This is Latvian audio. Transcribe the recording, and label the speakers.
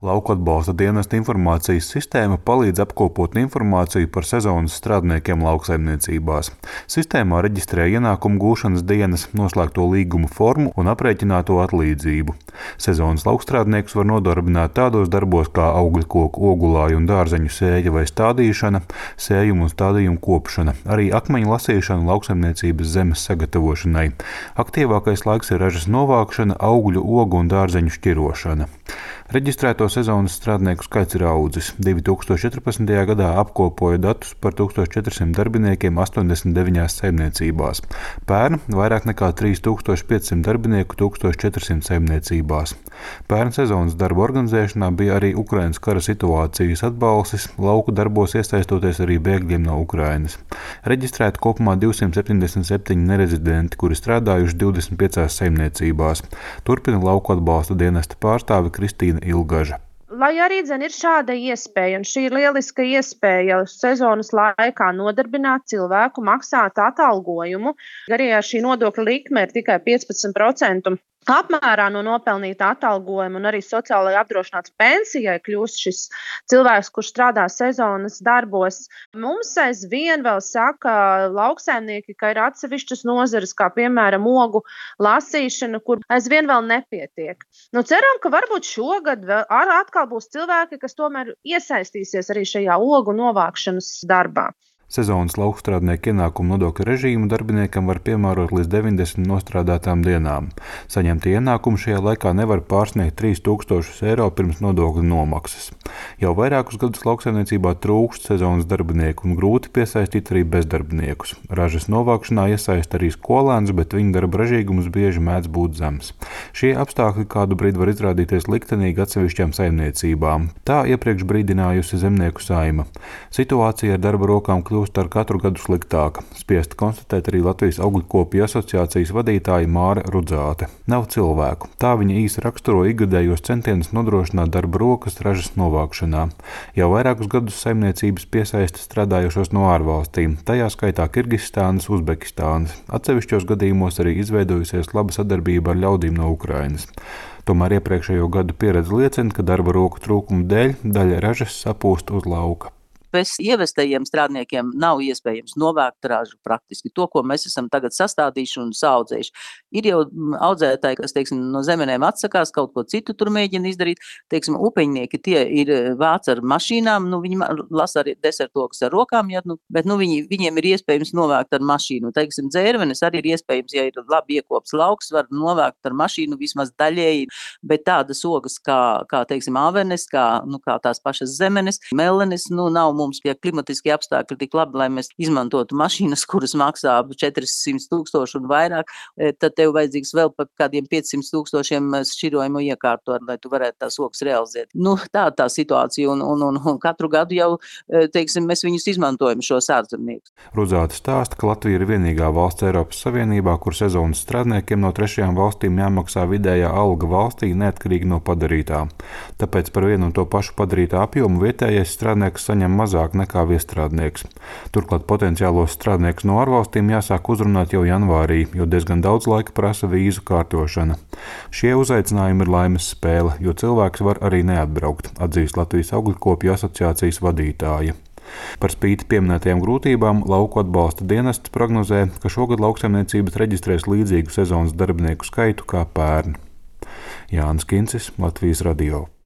Speaker 1: Lauku atbalsta dienesta informācijas sistēma palīdz apkopot informāciju par sezonas strādniekiem lauksaimniecībās. Sistēmā reģistrē ienākumu gūšanas dienas, noslēgto līgumu formu un aprēķināto atlīdzību. Sezonas laukstrādniekus var nodarbināt tādos darbos kā augļkoku, ogulāju un dārzeņu sēja vai stādīšana, sējumu un stādījumu kopšana, arī akmeņu lasīšana lauksaimniecības zemes sagatavošanai. Aktīvākais laiks ir ražas novākšana, augļu, ogu un dārzeņu šķirošana. Reģistrēto sezonas strādnieku skaits ir audzis. 2014. gadā apkopoja datus par 1400 darbiniekiem 89 saimniecībās. Pērn vairāk nekā 3500 darbinieku 1400 saimniecībās. Pērn sezonas darbu organizēšanā bija arī Ukrainas kara situācijas atbalstis, lauku darbos iesaistoties arī bēgļiem no Ukrainas. Reģistrēti kopumā 277 nerezidenti, kuri strādājuši 25 saimniecībās. Turpina lauku atbalsta dienesta pārstāve Kristīna Ilgaža.
Speaker 2: Lai arī ir šāda iespēja, un šī ir lieliska iespēja sezonas laikā nodarbināt cilvēku, maksāt atalgojumu, arī šī nodokļa likme ir tikai 15% apmērā no nopelnīta atalgojuma, un arī sociālajai apdrošināts pensijai kļūst šis cilvēks, kurš strādā sezonas darbos. Mums aizvien vēl saka lauksaimnieki, ka ir atsevišķas nozares, kā piemēram ogu lasīšana, kur aizvien vēl nepietiek. Ceram, ka varbūt šogad atkal būs cilvēki, kas tomēr iesaistīsies arī šajā ogu novākšanas darbā.
Speaker 1: Sezonas laukstrādnieku ienākumu nodokļa režīmu darbiniekam var piemērot līdz 90 nostrādātām dienām. Saņemtie ienākumi šajā laikā nevar pārsniegt 3000 eiro pirms nodokļa nomaksas. Jau vairākus gadus lauksaimniecībā trūkst sezonas darbinieku un grūti piesaistīt arī bezdarbniekus. Ražas novākšanā iesaist arī skolēnus, bet viņu darba ražīgums bieži mēdz būt zems. Šie apstākļi kādu brīdi var izrādīties liktenīgi atsevišķām saimniecībām. Tā iepriekš brīdinājusi Zemnieku saima. Situācija ar darba rokām kļūst ar katru gadu sliktāka. Spiesta konstatēt arī Latvijas augļkopju asociācijas vadītāja Māra Rudzāte. Nav cilvēku. Tā viņa īsi raksturo ikgadējos centienus nodrošināt darba rokas ražas novākšanā. Jau vairākus gadus saimniecības piesaista strādājošos no ārvalstīm, tajā skaitā Kirgistānas, Uzbekistānas. Atsevišķos gadījumos arī izveidojusies laba sadarbība ar ļaudīm no Ukrainas. Tomēr iepriekšējo gadu pieredze liecina, ka darba roku trūkuma dēļ daļa ražas sapūst uz lauka.
Speaker 3: Bez ievestajiem strādniekiem nav iespējams novākt ražu praktiski. To, ko mēs esam tagad sastādījuši un saudzējuši. Ir jau audzētāji, kas, no zemenēm atsakās, kaut ko citu tur mēģina izdarīt. Upeņnieki tie ir vāc ar mašīnām, viņi lasa arī desertokas ar rokām, bet viņiem ir iespējams novākt ar mašīnu. Dzērvenes arī ir iespējams, ja ir labi iekops lauks, var novākt ar mašīnu vismaz daļēji, bet tādas ogas kā avenes, kā tās pašas zemenes, melenes, nav mums pie klimatiskie apstākļi tik labi, lai mēs izmantotu mašīnas, kuras maksā 400 000 un vairāk, tad tev vajadzīgs vēl par kādiem 500 000 šķirojumu iekārtu, lai tu varētu tās ogas realizēt. Tā situācija, un katru gadu jau, mēs viņus izmantojam šos ārzemniekus.
Speaker 1: Rudzāte stāsta, ka Latvija ir vienīgā valsts Eiropas Savienībā, kur sezonas strādniekiem no trešajām valstīm jāmaksā vidējā alga valstī neatkarīgi no padarītā. Tāpēc par vienu un to pašu padarītā apjomu vietējais strādnieks saņem mazāk nekā viestrādnieks. Turklāt potenciālos strādniekus no ārvalstīm jāsāk uzrunāt jau janvārī, jo diezgan daudz laika prasa vīzu kārtošana. Šie uzaicinājumi ir laimes spēle, jo cilvēks var arī neatbraukt, atzīst Latvijas augļkopju asociācijas vadītāja. Par spīti pieminētajām grūtībām lauku atbalsta dienests prognozē, ka šogad lauksaimniecības reģistrēs līdzīgu sezonas darbinieku skaitu kā pērn. Jānis Kincis, Latvijas radio.